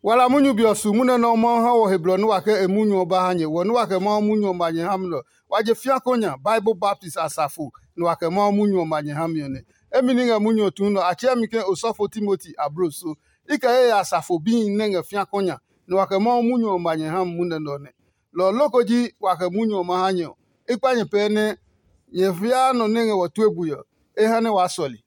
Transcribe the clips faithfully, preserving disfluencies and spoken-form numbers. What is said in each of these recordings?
Wala munyu be ɔ su munyu nɛ Mawu ha wɔ he blɔ nɛ wa kɛ e munyu ɔ ba ha nyɛ. Wɔ nɛ wa kɛ Mawu munyu ɔ ma nyɛ ha mi nɛ ɔ, wa je fiako nya Bible baptist asafo nɛ wa kɛ Mawu munyu ɔ ma nyɛ ha mi ɔ nɛ. Emi ní ngɛ munyu ɔ tuu nɛ ɔ, a tsɛɛ mi ke osɔfo Timoti abloso. I kɛ ye ya asafo bíhi nɛ ngɛ fiako nya, nɛ wa kɛ Mawu munyu ɔ ma nyɛ ha mi munyu nɛ ɔ nɛ. Lɔ ɔ loko ji wa kɛ munyu ɔ ma ha nyɛ ɔ, i kpa nyɛ pɛɛ nɛ nyɛ fiaa nɔ nɛ ngɛ wɔ tue bui ɔ, e ha nɛ waa sɔle.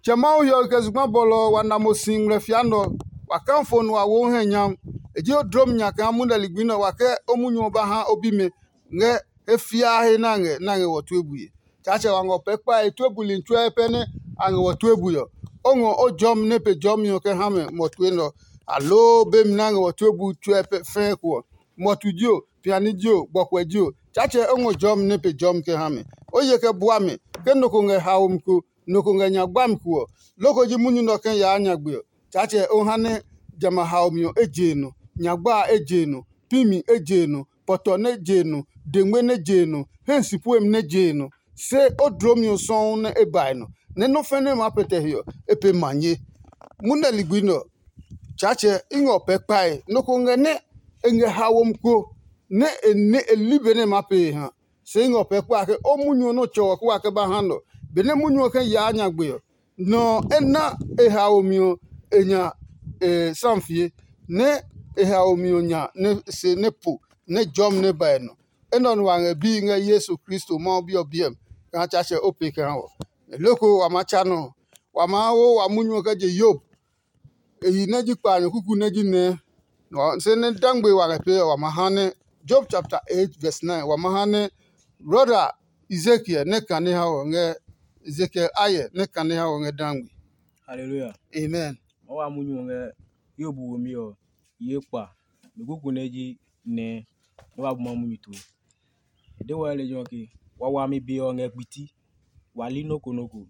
Tsɛ Mawu hiɔwe kɛ zugba bɔlɔ ɔ wa na mo si ngmlɛ fia nɛ ɔ, wa kafo nɛ wa wo o hɛ nyam. E ji o dlom nya kaa munyu ligbi nɛ ɔ wa kɛ o munyu ɔ ba ha o bimɛ ngɛ he fiaa he nɛ a ngɛ nɛ a ngɛ wɔ tue bue. Tsaatsɛ wa ngɔ pɛ kpae tue buli tsuɛ pɛ nɛ a ngɛ wɔ tue bui ɔ, o ngɔ o jɔmi nɛ pe jɔmi ɔ kɛ ha mɛ mɔtue nɛ ɔ, aloo bemi nɛ a ngɛ wɔ tue bui tsuɛ pɛ fɛɛ ko ɔ, mɔtu ji o, piani ji o, gbɔkuɛ ji o, Tsaatsɛ o ngɔ jɔmi nɛ pe jɔmi kɛ ha mɛ. O ye kɛ bua mɛ, ke nɔ ko ngɛ haomi ko, nɔ ko ngɛ nya gbami ko ɔ, loko ji munyu nɛ ɔ kɛ yaa nyagbe ɔ, Tsaatsɛ o ha nɛ jamɛ a haomi ɔ e je e nɔ, nyagba a e je e nɔ, pi mi e je e nɔ, pɔtɔ nɛ je e nɔ, dengme nɛ je e nɔ, hɛ si puemi nɛ je e nɔ. Se o dlomi ɔ sɔuu nɛ e ba e nɔ, nɛ nɔ́ fɛnɛ maa pɛtɛ he ɔ, e pe manye. Munɛ ligbi nɛ ɔ, Tsaatsɛ i ngɛ o pɛ kpae. Nɔ ko ngɛ nɛ e ngɛ haomi ko nɛ e ne e li benɛ e maa pee e ha. Se i ngɛ o pɛ kpae ke o munyu ɔ nɛ o tsɛ ɔ kɛ wa kɛ ba ha nɛ ɔ. Benɛ munyu ɔ kɛ yaa nyagbe ɔ, nɔ ɔ e na e haomi ɔ e nya e samfie, nɛ e haomi ɔ nya nɛ se nɛ po nɛ jɔmi nɛ ba e nɔ. Enɛ ɔ nɛ wa ngɛ bii ngɛ Yesu Kristo Mawu Bi ɔ biɛ mi kaa Tsaatsɛ o pee kɛ ha wɔ. Loko wa maa tsa nɔ ɔ, wa maa wo wa munyu ɔ kɛ je Yob. E yi nɛ ji kpaanyɔ kuku nɛ ji nɛ. Se nɛ dangbe wa ngɛ pee ɔ, wa ma ha nɛ Job chapter eight verse nine, wa ma ha nɛ brɔda Ezekiel nɛ kane ha wɔ ngɛ Ezekiel ayɛ nɛ kane ha wɔ ngɛ dangbe. Hallelujah. Amen. Ma wa munyu ɔ ngɛ Yob womi ɔ ye kpa. Mi kuku nɛ ji nɛ nɛ wa bu ma munyu tue. E de wɔ lejɛ ɔ ke, wawami be ɔ ngɛ kpiti. Wa li nɔ́ ko nɔ́ ko.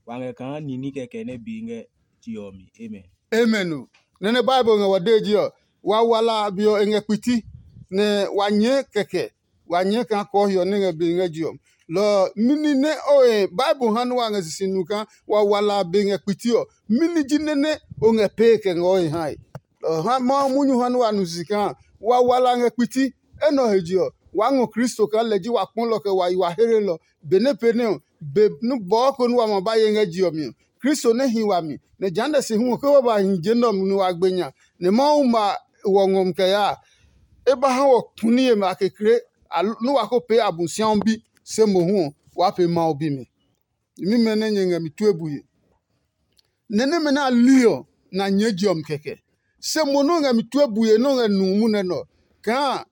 Wa ngɛ kaa ni ní kɛkɛ nɛ be ngɛ je ɔ mi. Amen. Amen o. Nɛ nɛ Bible ngɛ wɔ dee ji ɔ, wa wala a be ɔ e ngɛ kpiti, nɛ wa nyɛɛ kɛkɛ, wa nyɛɛ kaa kɔɔ hiɔ nɛ ngɛ be ngɛ je ɔ. Lɔ ɔ, mɛni nɛ o he Bible ha nɛ wa ngɛ sisi nu kaa wa wala a be ngɛ kpiti ɔ, mɛni ji nɛ nɛ o ngɛ pee kɛ ngɛ o he hae? Lɔ ɔ ha Mawu munyu ha nɛ wa nu sisi kaa wa wala a ngɛ kpiti. Enɛ ɔ he je ɔ, waa ngɔ Kristo kaa lɛ ji wa kpɔlɔ kɛ wa yi wa heelɔ. Benɛ pee nɛ ɔ, be nɛ bɔɔ ko nɛ wa ma ba ye ngɛ je ɔ mi ɔ, Kristo nɛ hi wami, nɛ jehanɛ se hu ɔ, ke wa ba hi je nɛ ɔ mi nɛ wa gbe nya, nɛ Mawu ma wɔ ngɔ mi kɛ yaa a, e ba ha wɔ kuni yemi a kekle, nɛ wa ko pee Abosiami bi, se mohu ɔ, waa pee Mawu bimi. Nyɛmimɛ nɛ nyɛ ngɛ mi tue bue. Nɛ nɛmɛ nɛ a li ɔ, na nyɛɛ je ɔ mi kɛkɛ. Se mo nɛ o ngɛ mi tue bue nɛ o ngɛ nu munɛ nɛ ɔ, kaa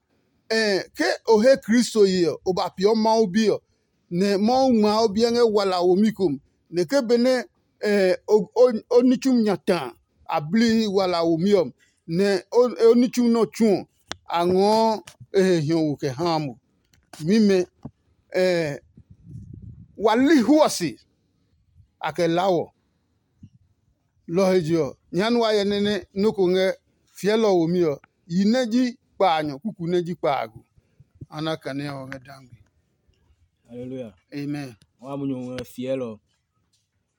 ke o he Kristo ye ɔ, o ba peeɔ Mawu Bi ɔ, nɛ Mawu ngmaa o biɛ ngɛ wala womi ko mi, nɛ ke benɛ o ní tsumi nya ta a blihi wala womi ɔ mi, nɛ o ní tsumi nɛ ɔ tsu ɔ, a ngɔɔ e he hiɔwo kɛ haa mo. Mimɛ, wa li huɔ se, a kɛ laa wɔ. Lɔ ɔ he je ɔ, nyɛɛ ha nɛ wa hyɛ nɛ nɛ nɔ́ ko ngɛ fiɛlɔ ɔ womi ɔ, yi nɛ ji kpaanyɔ kuku nɛ ji kpaago. A na kane ɔ ngɛ dangbe. Haleluya. Amen. Wa munyu ngɛ fiɛlɔ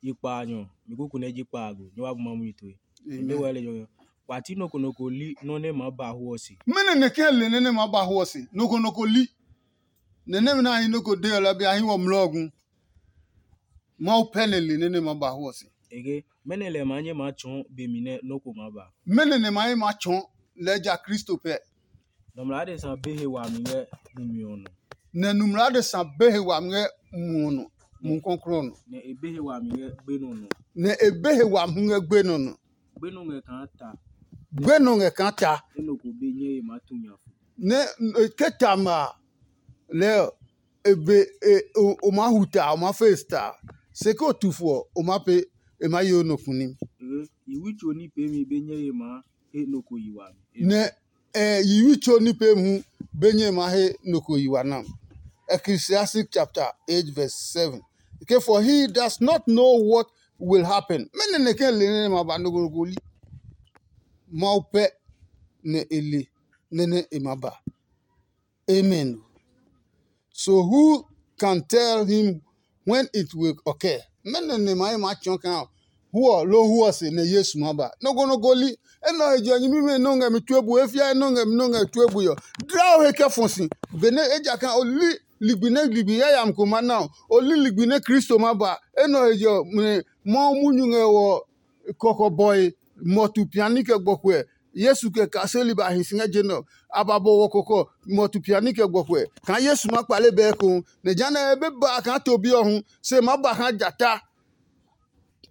yi kpaanyɔ mi kuku nɛ ji kpaago, nyɛ wa bu ma munyu tue. Nde wɛ lejɛ ɔ, wa ti nɔ ko nɔ ko li nɔ nɛ ma ba hu ɔ se. Mɛnɔ nɛ kɛ le nɛ nɛ ma ba hu ɔ se? Nɔ ko nɔ ko li. Nɛ nɛmɛ nɛ a hi nɔ ko de ɔ la bi a hi wɔ mlɔ gu. Mawu pɛ nɛ le nɛ nɛ ma ba hu ɔ se. Ege, mɛnɔ lɛ ma nyɛ ma tsɔɔ be mi nɛ nɔ ko ma ba? Mɛnɔ nɛ ma ye ma tsɔɔ lɛ ja Kristo pɛ? Nɔmlɔ adesa be he wami ngɛ mumi ɔ nɔ. Nɛ nɔmlɔ adesa be he wami ngɛ mu ɔ nɔ, mu kɔklɔ nɔ. Nɛ e be he wami ngɛ gbenɔ nɔ. Nɛ e be he wami hu ngɛ gbenɔ nɔ. Gbenɔ ngɛ kaa ta. Gbenɔ ngɛ kaa ta. Enɔ ko be nyɛ ye ma tu nya fu. Nɛ e ke ta ma a, lɛɛ ɔ, e be e o o maa hu ta, o maa fe ta. Se ke o tu fo ɔ, o maa pe e maa ye o nɔ kunim. Yi wi tso ní peemi be nyɛ ye maa he nɔ ko yi wami. Nɛ eh, yiwi tso ní pee hu be nyɛ ma he nɔ ko yi wa nam. Ecclesiastic chapter eight verse seven. Ke for he does not know what will happen. Mɛnɔ nɛ kɛ le nɛ ma ba nɔ ko nɔ ko li. Mawu pɛ nɛ e le nɛ nɛ e ma ba. Amen. So who can tell him when it will occur? Mɛnɔ nɛ ma ye ma tsɔɔ kaa hu ɔ loo hu ɔ se nɛ Yesu ma ba. Nɔ́ ko nɔ́ ko li. Enɛ ɔ he je ɔ, nyɛmimɛ nɛ o ngɛ mi tue bue, e fia nɛ o ngɛ mi nɛ o ngɛ tue bue ɔ, dla o he kɛ fɔ si. Benɛ ejakaa o li ligbi nɛ ligbi yayami ko ma na ɔ, o li ligbi nɛ Kristo ma ba. Enɛ ɔ he je ɔ, Mawu munyu ngɛ wɔ kɔkɔbɔe, mɔtu piani kɛ gbɔkuɛ. Yesu kɛ kaseli ba hi si ngɛ je nɛ ɔ. A ba bɔ wɔ kɔkɔ, mɔtu piani kɛ gbɔkuɛ, kaa Yesu ma kpale bɛ ekohu, nɛ jehanɛ e be ba a kaa to bi ɔ hu, se e maa ba kaa jata.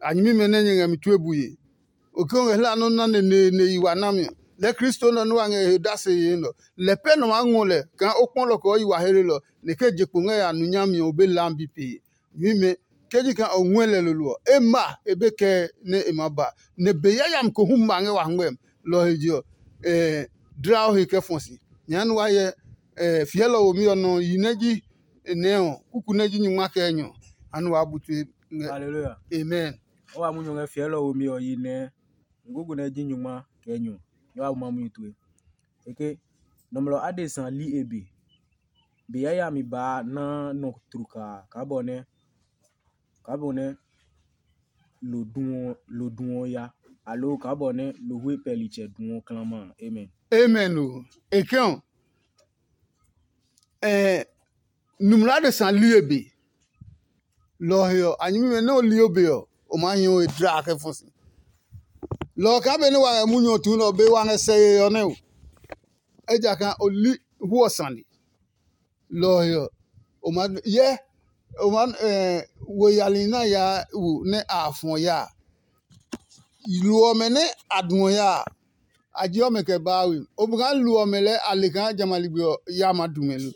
A nyɛmimɛ nɛ nyɛ ngɛ mi tue bue. O ke o ngɛ hla nɔ́ na neneene yi wa nami ɔ, lɛɛ Kristo nɛ ɔ nɛ wa ngɛ he dase yee nɛ ɔ, lɛ pɛ nɔ maa ngɔ lɛ kaa o kpɔ lɔ kɛ o yi wa hlelelɔ, nɛ e kɛ je kpo ngɛ ya nu nyami ɔ, o be lam bi pee. Nyɛmimɛ, ke ji kaa o ngɔɛ lɛ lolo ɔ, e ma e be kɛɛ nɛ e ma ba, nɛ be yayami ko hu ma ngɛ wa hwɛmi. Lɔ ɔ he je ɔ, dla o he kɛ fɔ si. Nyɛɛ nɛ wa hyɛ fiɛlɔ womi ɔ nɔ yi nɛ ji nɛ ɔ, kuku nɛ ji nyungma kɛ enyɔ. Anɛ waa bu tue ngɛ. Hallelujah. Amen. O wa munyu ngɛ fiɛlɔ womi ɔ yi nɛ, kuku nɛ ji nyungma kɛ enyɔ. Nyɛ wa bu ma munyu tue. Eke, nɔmlɔ adesa li e be. Be yayami baa naa nɔ tlukaa kaa bɔ nɛ kaa bɔ nɛ lo duɔ lo duɔ ya, aloo kaa bɔ nɛ lohwe pɛlitsɛ duɔ klama a. Amen. Amen o. E kɛ ɔ, eh, numla adesa li e be. Lɔ ɔ he ɔ, a nyɛmimɛ nɛ o li o be ɔ, o maa hi o he dla kɛ fɔ si. Lɔ ɔ kaa benɛ wa ngɛ munyu ɔ tuu nɛ ɔ, be wa ngɛ sɛ yee ɔ nɛ o. Ejakaa o li hu ɔ sane. Lɔ ɔ he ɔ, o maa hyɛ o maa eh, wo yali nɛ a yaa wo nɛ a fɔ ya a. Lo ɔmɛ nɛ a duɔ ya a, a jeɔ mɛ kɛ baa we. O bu kaa lo ɔmɛ lɛɛ a le kaa jamɛ a ligbi ɔ ya maa du mɛ lo.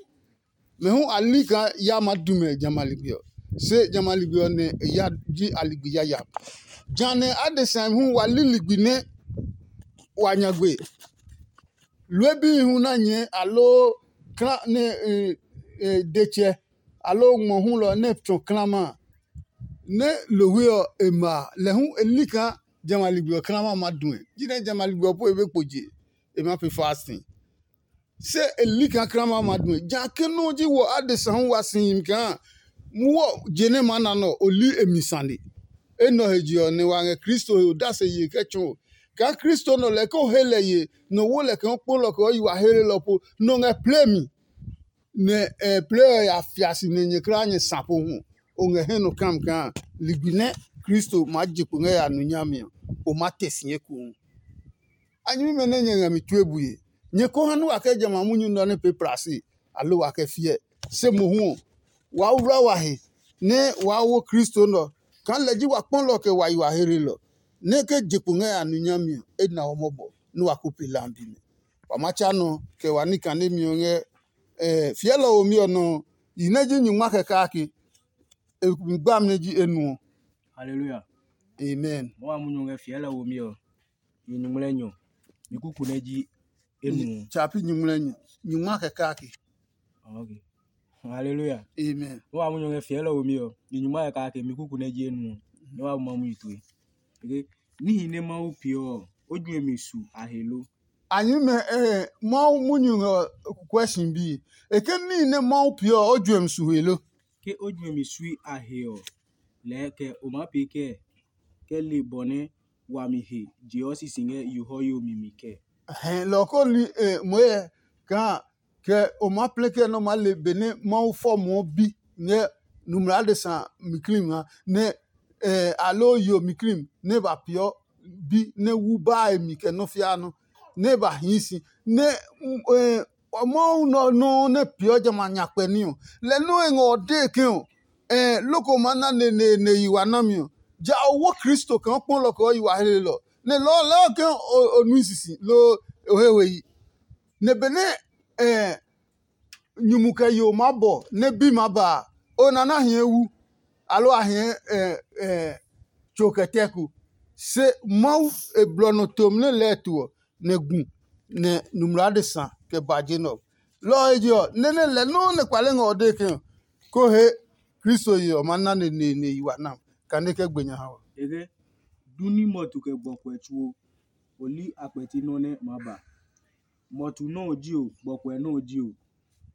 Mɛ hu a li kaa ya maa du mɛ jamɛ a ligbi ɔ, se jamɛ a ligbi ɔ nɛ e ya ji a ligbi yayami. Jehanɛ adesa hu wa li ligbi nɛ wa nyagbe. Lue bihi hu na nyɛɛ aloo kla nɛ e e detsɛ aloo ngmɔ hulɔ nɛ tsɔ klama a, nɛ lohwe ɔ e ma a, lɛ hu e li kaa jamɛ a ligbi ɔ klama ma due. Jinɛ jamɛ a ligbi ɔ po e be kpo je, e ma pee fasting. Se e li kaa klama ma due. Ja ke nɔ́ ji wɔ adesa hu wa si yimi kaa muɔ je nɛ ma na nɔ o li e mi sane. Enɛ ɔ he je ɔ nɛ wa ngɛ Kristo he odase ye kɛ tsɔɔ. Kaa Kristo nɔ lɛ ke o he lɛ ye nɔ wo lɛ kaa o kpolɔ kɛ o yi wa helelɔ po nɔ ngɛ plemi. Nɛ e plɛ ɔ ya fia si nɛ nyɛ kulaa nyɛ sa po hu. O ngɛ he nɔ kam kaa ligbi nɛ Kristo maa je kpo ngɛ ya nu nyami ɔ, o maa te si ekohu. A nyɛmimɛ nɛ nyɛ ngɛ mi tue bue. Nyɛ ko ha nɛ wa kɛ jamɛ a munyu nɔ nɛ pee plasi, aloo wa kɛ fiɛ. Se mohu ɔ, waa wla wa he nɛ waa wo Kristo nɛ ɔ, kaa lɛ ji wa kpɔlɔ kɛ wa yi wa heelelɔ, nɛ ke je kpo ngɛ a nu nyami ɔ, e na ɔ mɔbɔ nɛ wa ko pe lambi nɛ. Wa ma tsa nɔ kɛ wa ní kanemi ɔ ngɛ fiɛlɔ womi ɔ nɔ ɔ, yi nɛ ji nyungma kɛ kake, e mi gbami nɛ ji enuɔ. Haleluya. Amen. Mo wa munyu ngɛ fiɛlɔ womi ɔ, yi nyuŋmlɛ nyɔ, mi kuku nɛ ji enuɔ. Tsapi nyuŋmlɛ nyɔ, nyungma kɛ kake. Ok. Haleluya. Amen. Mo wa munyu ngɛ fiɛlɔ womi ɔ, yi nyungma kɛ kake, mi kuku nɛ ji enuɔ. Ne wa bu ma mu yi tue. Eke, níhi nɛ Mawu peeɔ ɔ, o juɛ mi su a he lo? A nyɛmimɛ, eh, Mawu munyu ngɛ kukuɛ si bi. E ke níhi nɛ Mawu peeɔ ɔ, o juɛmi su he lo? Ke o juɛmi sui a he ɔ, lɛɛ kɛ o maa pee kɛɛ, kɛ le bɔ nɛ wami he jeɔ sisi ngɛ yo hɔyo mi mi kɛɛ? Hɛɛ, lɔ ko li, eh, moe kaa kɛ o maa plɛ kɛ nɛ o maa le benɛ Mawu fɔ moɔ bi ngɛ numla adesa mi klim ha, nɛ eh, aloo yo mi klim nɛ e ba peeɔ bi nɛ wu baa e mi kɛ nɔ́ fiaa nɔ́, nɛ e ba hii si, nɛ mm, eh, Mawu nɔ nɔuu nɛ peeɔ jamɛ a nyakpɛ ní ɔ, lɛ nɔ́ e ngɛ ɔ dee ke ɔ, eh, loko maa na neneene yi wa nami ɔ, ja o wo Kristo kaa o kpɔlɔ kɛ o yi wa helelɔ, nɛ lɔɔ lɛɛ ke o nui sisi loo o he we yi. Nɛ benɛ eh, nyumu kɛ yo maa bɔ nɛ bi maa ba a, o na na hie wu, aloo a hie tso kɛ tɛ ko. Se Mawu e blɔ nɔ tom nɛ lɛɛ to ɔ, nɛ gu nɛ numla adesa kɛ ba je nɛ ɔ. Lɔ ɔ he je ɔ, nɛ́ nɛ lɛ nɔuu nɛ kpale ngɛ ɔ dee ke ɔ, ko he Kristo ye ɔ ma na neneene yi wa nam, kane kɛ gbe nya ha wa. Eke, du ní mɔtu kɛ gbɔkuɛ tsuo, o li a kpɛti nɔ́ nɛ maa ba. Mɔtu nɔ́ ɔ ji o, gbɔkuɛ nɔ́ ɔ ji o,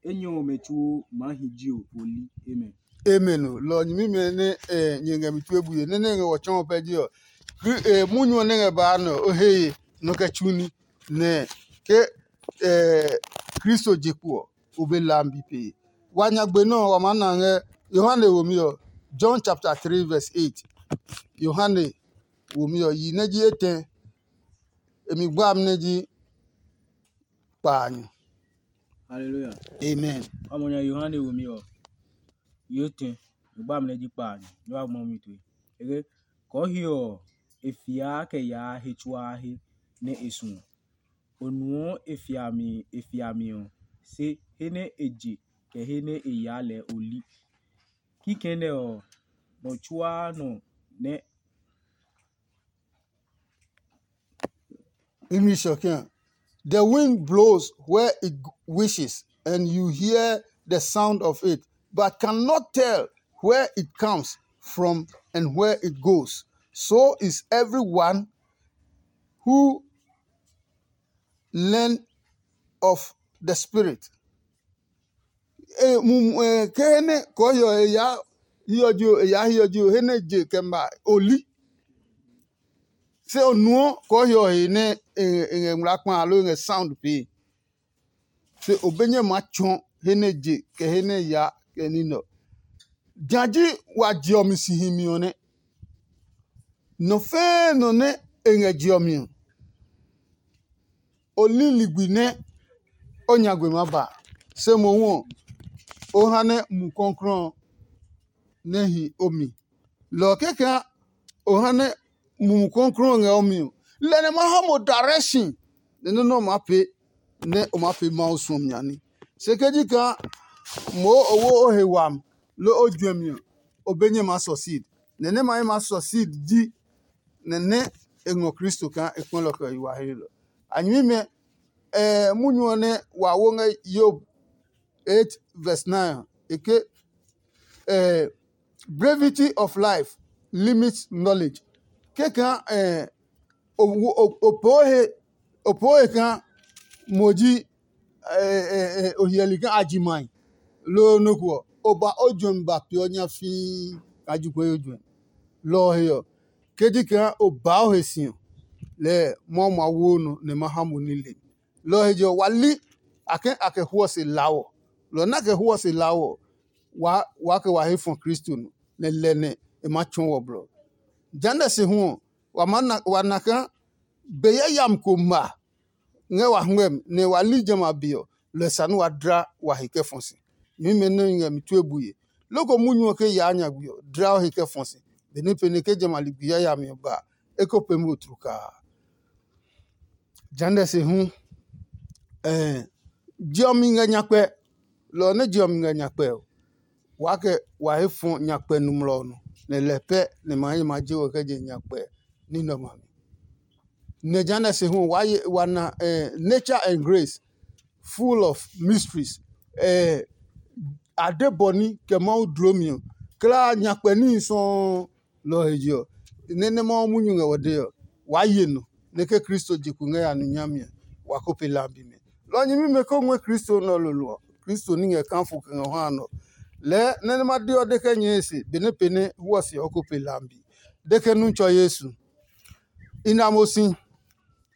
enyɔ ɔmɛ tsuo maa hi ji o, o li. Amen. Amen o. Lɔ ɔ nyɛmimɛ nɛ eh, nyɛ ngɛ mi tue bue, nɛ nɛ ngɛ wɔ tsɔɔ pɛ ji ɔ, munyu ɔ nɛ ngɛ baa nɛ ɔ, o he ye nɔ kɛ tsu ní, nɛ ke Kristo je kpo ɔ, o be lambi pee. Wa nyagbe nɛ ɔ, wa maa na ngɛ Yohane womi ɔ, John chapter three verse eight. Yohane womi ɔ, yi nɛ ji etɛ, e mi gba amɛ nɛ ji kpaanyɔ. Hallelujah. Amen. Wa mɔ nya Yohane womi ɔ, yi etɛ, mi gba amɛ nɛ ji kpaanyɔ. Nyɛ wa ngmɔ mi tue. Eke, kɔɔhiɔ ɔ, e fiaa kɛ yaa he tsuaa he nɛ e suɔ. O nuɔ e fiami e fiami ɔ, se he nɛ e je kɛ he nɛ e yaa lɛɛ o li. Kikɛ nɛ ɔ, nɔ tsuaa nɔ nɛ English ɔ kɛ̃. The wind blows where it wishes, and you hear the sound of it, but cannot tell where it comes from and where it goes. So is everyone who learn of the Spirit. Ke he nɛ kɔɔhiɔ ɔ he yaa hiɔ ji ɔ, e yaa hiɔ ji ɔ, he nɛ je kɛ ma o li. Se o nuɔ kɔɔhiɔ ɔ he nɛ e ngɛ ngmlaa kpa alo e ngɛ sound pee. Se o be nyɛ maa tsɔɔ he nɛ je kɛ he nɛ yaa kɛ ní nɛ ɔ. Jã ji wa je ɔ mi si himi ɔ nɛ. Nɔ fɛɛ nɔ nɛ e ngɛ je ɔ mi ɔ, o li ligbi nɛ o nyagbe maa ba, se mohu ɔ, o ha nɛ Mumi Klɔuklɔu ɔ nɛ hi o mi. Lɔ ɔ kɛkɛ o ha nɛ Mumi Klɔuklɔu ɔ ngɛ o mi ɔ, lɛ nɛ ma ha mo direction nɛ nɔ́ nɛ o maa pee nɛ o maa pee Mawu suɔmi a ní. Se ke ji kaa moo o wo o he wami loo o juɛmi ɔ, o be nyɛ maa succeed. Nɛ nɛ ma ye maa succeed ji nɛ nɛ e ngɔ Kristo kaa e kpɛlɔ kɛ yi wa he lɔ. A nyɛmimɛ, munyu ɔ nɛ wa wo ngɛ Yob eight verse nine ɔ, e ke, brevity of life limits knowledge. Kɛkaa o poo he o poo he kaa mo ji o hyɛli kaa a ji mai loo nɔ́ ko ɔ, o ba o juɛmi ba peeɔ nyafii kaa ji kue o juɛmi. Lɔ ɔ he ɔ, ke ji kaa o baa o he si ɔ, lɛɛ Mawu ma wo nɔ nɛ ma ha mo nile. Lɔ ɔ he je ɔ, wa li a ke a kɛ huɔ se lawɔ. Lɔ ɔ nɛ a kɛ huɔ se lawɔ ɔ, waa waa kɛ wa he fɔ Kristo nɔ, nɛ lɛ nɛ e maa tsɔɔ wɔ blɔ. Jehanɛ se hu ɔ, wa maa na wa na kaa be yayami ko ma ngɛ wa hwɛmi nɛ wa li jamɛ a be ɔ, lɔ ɔ sane wa dla wa he kɛ fɔ si. Nyɛmimɛ nɛ ngɛ mi tue bue. Loko munyu ɔ ke yaa nyagbe ɔ, dla o he kɛ fɔ si. Benɛ pɛnɛ ke jamɛ a ligbi yayami ɔ ba a, e ko pee mo tlukaa. Jehanɛ se hu, je ɔ mi ngɛ nyakpɛ. Lɔ ɔ nɛ je ɔ mi ngɛ nyakpɛ ɔ, waa kɛ wa he fɔ nyakpɛ nɔmlɔ ɔ nɔ, nɛ lɛ pɛ nɛ ma hi ma je wɔ kɛ je nyakpɛ ní nɛ ɔmɛ a mi. Nɛ jehanɛ se hu wa ye wa na nature and grace, full of mysteries. A de bɔ ní kɛ Mawu dloo mi ɔ, klaa nyakpɛ níhi sɔuu. Lɔ ɔ he je ɔ, nɛ nɛ Mawu munyu ngɛ wɔ dee ɔ, waa ye nɔ nɛ ke Kristo je kpo ngɛ ya nu nyami ɔ, wa ko pe lambi mɛ. Lɔ ɔ nyɛmimɛ ko ngɔɛ Kristo nɛ ɔ lolo ɔ, Kristo ní ngɛ kaa fo kɛ ngɛ ɔ ha nɔ. Lɛɛ nɛ nɛ ma de ɔ de kɛ nyɛɛ e se benɛ pɛnɛ hwɔ se ɔ ko pe lambi. De ke nu tsɔ Yesu. I na mo si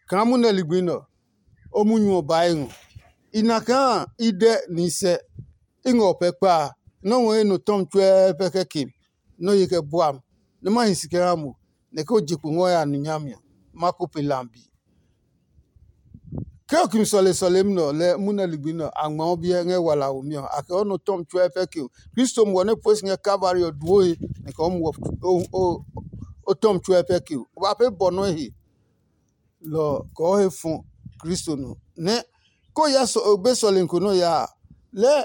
kaa munɛ ligbi nɛ ɔ, o munyu ɔ ba e ngɔ. I na kaa i dɛ ni sɛ i ngɛ o pɛ kpa a, nɔ́ ngɔ ye nɔ tɔmi tsuɛɛ pɛ kɛ ke nɔ́ ye kɛ bua mi, nɛ ma hi si kɛ ha mo, nɛ ke o je kpo ngɔ ya nu nyami ɔ, ma ko pe lambi. Ke o kimi sɔle sɔlemi nɛ ɔ, lɛ munɛ ligbi nɛ ɔ, a ngma o biɛ ngɛ wala womi ɔ, a kɛ o nɔ tɔmi tsuɛ pɛ ke o. Kristo muɔ nɛ pue si ngɛ Kalvari ɔ duo he, nɛ kɛ o muɔ o tɔmi tsuɛ pɛ ke o. O ba pee bɔ nɔ́ he. Lɔ ɔ kɔɔ he fɔ Kristo nɔ nɛ ko ya be sɔlemi ko nɔ́ yaa a, lɛɛ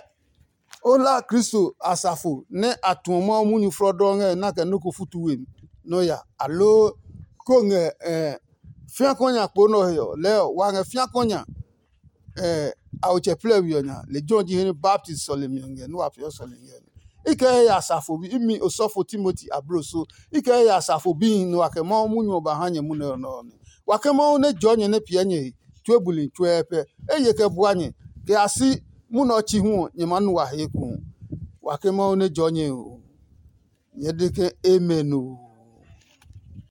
o hla Kristo asafo nɛ a tuɔ Mawu munyu flɔdɔɔ ngɛ na kɛ nɔ́ ko futu we mi nɔ́ ya, aloo ko ngɛ fiakɔ nya kpo nɛ ɔ he ɔ, lɛɛ ɔ wa ngɛ fiakɔ nya a otsɛ plɛ we ɔ nya. Lejɛ ɔ ji he nɛ baptist sɔlemi ɔ ngɛ nɛ wa peeɔ sɔlemi ngɛ nɛ. I kɛ he ya asafo bi, imi osɔfo Timoti abloso, i kɛ he ya asafo bihi nɛ wa kɛ Mawu munyu ɔ ba ha nyɛ munɛ ɔ nɛ ɔ nɛ. Wa ke Mawu nɛ jɔɔ nyɛ nɛ piɛ nyɛ he tue buli tsuɛɛ pɛ. Eye kɛ bua nyɛ, kɛ ya si munɛ ɔ chi hu ɔ, nyɛ maa nu wa he ekohu. Wa ke Mawu nɛ jɔɔ nyɛ he o. Nyɛɛ de ke, Amen oo.